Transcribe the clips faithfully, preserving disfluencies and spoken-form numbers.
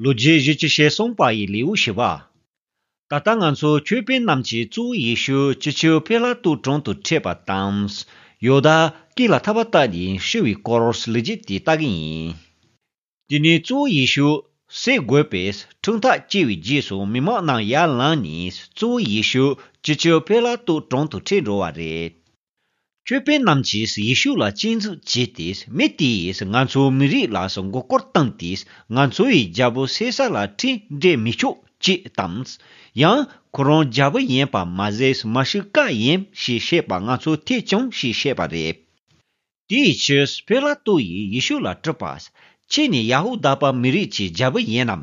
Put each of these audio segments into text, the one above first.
ལོ་རྒྱུས་བཞི་བཅུ་ཞེ་གསུམ་པ་ཡི་ལེའུ་བཞི་པ། ད་ལྟ་ང་ཚོ་ཆོས་དཔོན་རྣམས་ཀྱིས་གཙོ་བོ་ཡེ་ཤུ་སྤྱི་ཁྱབ་པི་ལ་ཏུ་དྲུང་དུ་ཁྲིད་པ་དང་། ཡོ་དཱ་སྐེ་ལ་ཐག་པ་བཏགས་ནས་ཤི་བའི་སྐོར་ལོ་རྒྱུས་དེ་ལྟ་གི་ཡིན། དེ་ནས་གཙོ་བོ་ཡེ་ཤུ་བསད་དགོས་པའི་ཁྲིམས་ཐག་བཅད་པའི་རྗེས་སུ་མི་མང་རྣམས་ཡར་ལངས་ནས་གཙོ་བོ་ཡེ་ཤུ་སྤྱི་ཁྱབ་པི་ལ་ཏུ་དྲུང་དུ་ཁྲིད་འགྲོ་བ་རེད། ཆོས་དཔོན་རྣམས་ཀྱིས་ཡེ་ཤུ་ལ་སྐྱོན་འཛུགས་བྱས་ཏེ། མི་དེས་ང་ཚོའི་མི་རིགས་ལ་མགོ་སྐོར་བཏང་སྟེ། ང་ཚོ་ཡི་རྒྱལ་པོ་སེ་སར་ལ་ཁྲིམས་འགལ་མི་ཆོག་ཅེས་དང་། ཡང་ཁོ་རང་རྒྱལ་པོ་ཡིན་པ་མ་ཟད་མ་ཤི་ཀ་ཡིན་ཞེས་བཤད་པ་ང་ཚོ་ཐོས་བྱུང་ཞེས་བཤད་པ་རེད། དེའི་ཕྱིར་པི་ལ་ཏུ་ཡིས་ཡེ་ཤུ་ལ་དྲིས་པ། ཁྱེད་ནི་ཡ་ཧུ་དཱ་པ་མི་རིགས་ཀྱི་རྒྱལ་པོ་ཡིན་ནམ་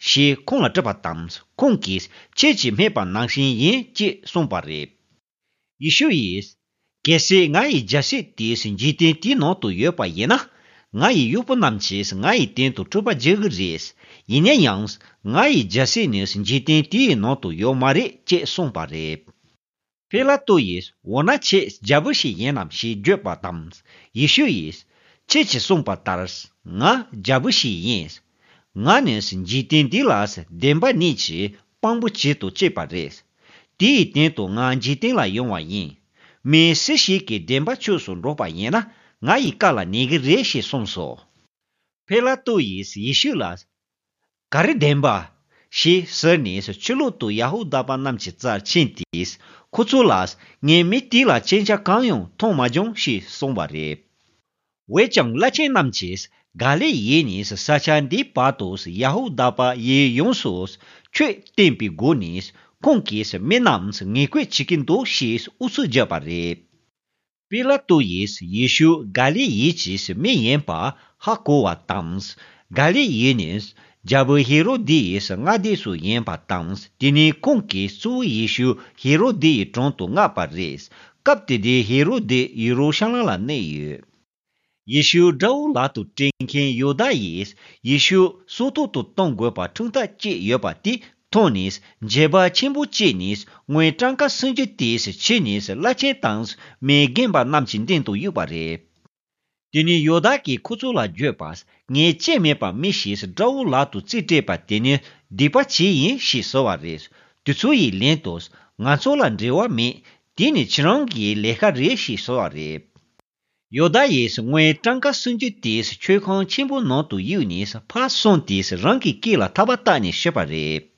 ཞེས་ཁོང་ལ་དྲིས་པ་དང་། ཁོང་གིས་ཁྱེད་ཀྱིས་སྨྲས་པ་ནང་བཞིན་ཡིན་ཅེས་གསུངས་པ་རེད། ཡེ་ཤུ་ཡིས། གལ་སྲིད་ང་ཡི་རྒྱལ་སྲིད་དེ་འཇིག་རྟེན་དེའི་ནང་དུ་ཡོད་པ་ཡིན་ན། ང་ཡི་གཡོག་པོ་རྣམས་ཀྱིས་ང་ཡི་སྟེང་དུ་འཁྲུག་པ་རྒྱག་གི་རེད། ཡིན་ན་ཡང་། ང་ཡི་རྒྱལ་སྲིད་ནི་འཇིག་རྟེན་དེའི་ནང་དུ་ཡོད་མ་རེད་ཅེས་གསུངས་པ་རེད། པི་ལ་ཏུ་ཡིས། འོ་ན་ཁྱེད་རྒྱལ་པོ་ཞིག་ཡིན་ནམ་ཞེས་བརྗོད་པ་དང་། ཡེ་ཤུ་ཡིས། ཁྱེད་ཀྱིས་གསུངས་པ་ལྟར། ང་རྒྱལ་པོ་ཞིག་ཡིན། ང་ནི་འཇིག་རྟེན་འདི་ལ་བདེན་པ་ཉིད་ཀྱི་དཔང་པོ་བྱེད་དུ་བཅུག་པ་རེད། དེའི་སྟེང་དུ་ང་འཇིག་རྟེན་ལ་ཡོང་བ་ཡིན། མི་སུ་ཞིག་གིས་བདེན་པ་ཆོས་སུ་འགྲོ་བ་ཡིན་ན། ང་ཡི་བཀའ་ལ་ཉན་གྱི་རེད་ཞེས་གསུངས་སོ། པི་ལ་ཏུ་ཡིས་ཡེ་ཤུ་ལ། ག་རེ་བདེན་པ། ཞེས་ཟེར་ནས་ཕྱི་ལོག་ཏུ་ཡ་ཧུ་དཱ་པ་རྣམས་ཀྱི་རྩར་ཕྱིན་ཏེ། ཁོ་ཚོ་ལ། ངས་མི་དེ་ལ་སྐྱོན་ཆ་གང་ཡང་མཐོང་མ་བྱུང་ཞེས་གསུངས་པ་རེད། འོན་ཀྱང་བླ་ཆེན་རྣམས་ཀྱིས་ག་ལི་ཡའི་ནས་ས་ཆ་འདིའི་བར་དུ་ཡ་ཧུ་དཱ་པ་ཡི་ཡོངས་སུ་ཆོས་བསྟན་པའི་སྒོ་ནས་ཁོང་གིས་མི་རྣམས་ངན་སྐུལ་བྱེད་ཀྱི་འདུག་ཞེས་ཨུ་ཚུགས་བརྒྱབ་པ་རེད། པི་ལ་ཏུ་ཡིས་ཡེ་ཤུ་ག་ལི་ཡའི་གི་མི་ཡིན་པ་ཧ་གོ་བ་དང་། ག་ལི་ཡའི་ནས་རྒྱལ་པོ་ཧེ་རོ་དི་ཡི་མངའ་སྡེ་སུ་ཡིན་པ་དང་། དེ་ནས་ཁོང་གིས་གཙོ་བོ་ཡེ་ཤུ་ཧེ་རོ་དི་ཡི་དྲུང་དུ་མངགས་པ་རེད། སྐབས་དེ་དུས་ཧེ་རོ་དི་ཡེ་རུ་ཤ་ལམ་ལ་གནས་ཡོད། ཡེ་ཤུ་དགྲ་བོ་ལག་ཏུ་སྤྲད་མཁན་ཡོ་དཱ་ཡིས་ཡེ་ཤུ་སྲོག་ཐོག་ཏུ་གཏོང་དགོས་པ་ཁྲིམས་ཐག་བཅད་ཡོད་པ་དེ་མཐོང་ནས་མཇལ་བ་ཆེན་པོ་བྱས་ནས་དངུལ་གྲངས་ཀ་སུམ་ཅུ་དེ་ཁྱེར་ནས་བླ་ཆེན་དང་མི་རྒན་པ་རྣམས་ཀྱི་མདུན་དུ་གཡུགས་པ་རེད། དེ་ནས་ཡོ་དཱ་གིས་ཁོ་ཚོ་ལ་བརྗོད་པ། ངས་སྐྱོན་མེད་པ་མི་ཞིག་དགྲ་བོ་ལག་ཏུ་རྩིས་སྤྲད་པ་དེ་ནི་སྡིག་པ་བྱས་ཡིན་ཞེས་ཟེར་བ་རེད། དེ་ཚོ་ཡིས་ལན་དུ། ང་ཚོ་ལ་འབྲེལ་བ་མེད། དེ་ནི་ཁྱེད་རང་གི་ལས་ཀ་རེད་ཞེས་ཟེར་བ་རེད། ཡོ་དཱ་ཡིས་དངུལ་གྲངས་ཀ་སུམ་ཅུ་དེ་མཆོད་ཁང་ཆེན་པོ་ནང་དུ་གཡུགས་ནས་ཕར་སོང་སྟེ་རང་གི་སྐེ་ལ་ཐག་པ་བཏགས་ནས་ཤི་བ་རེད།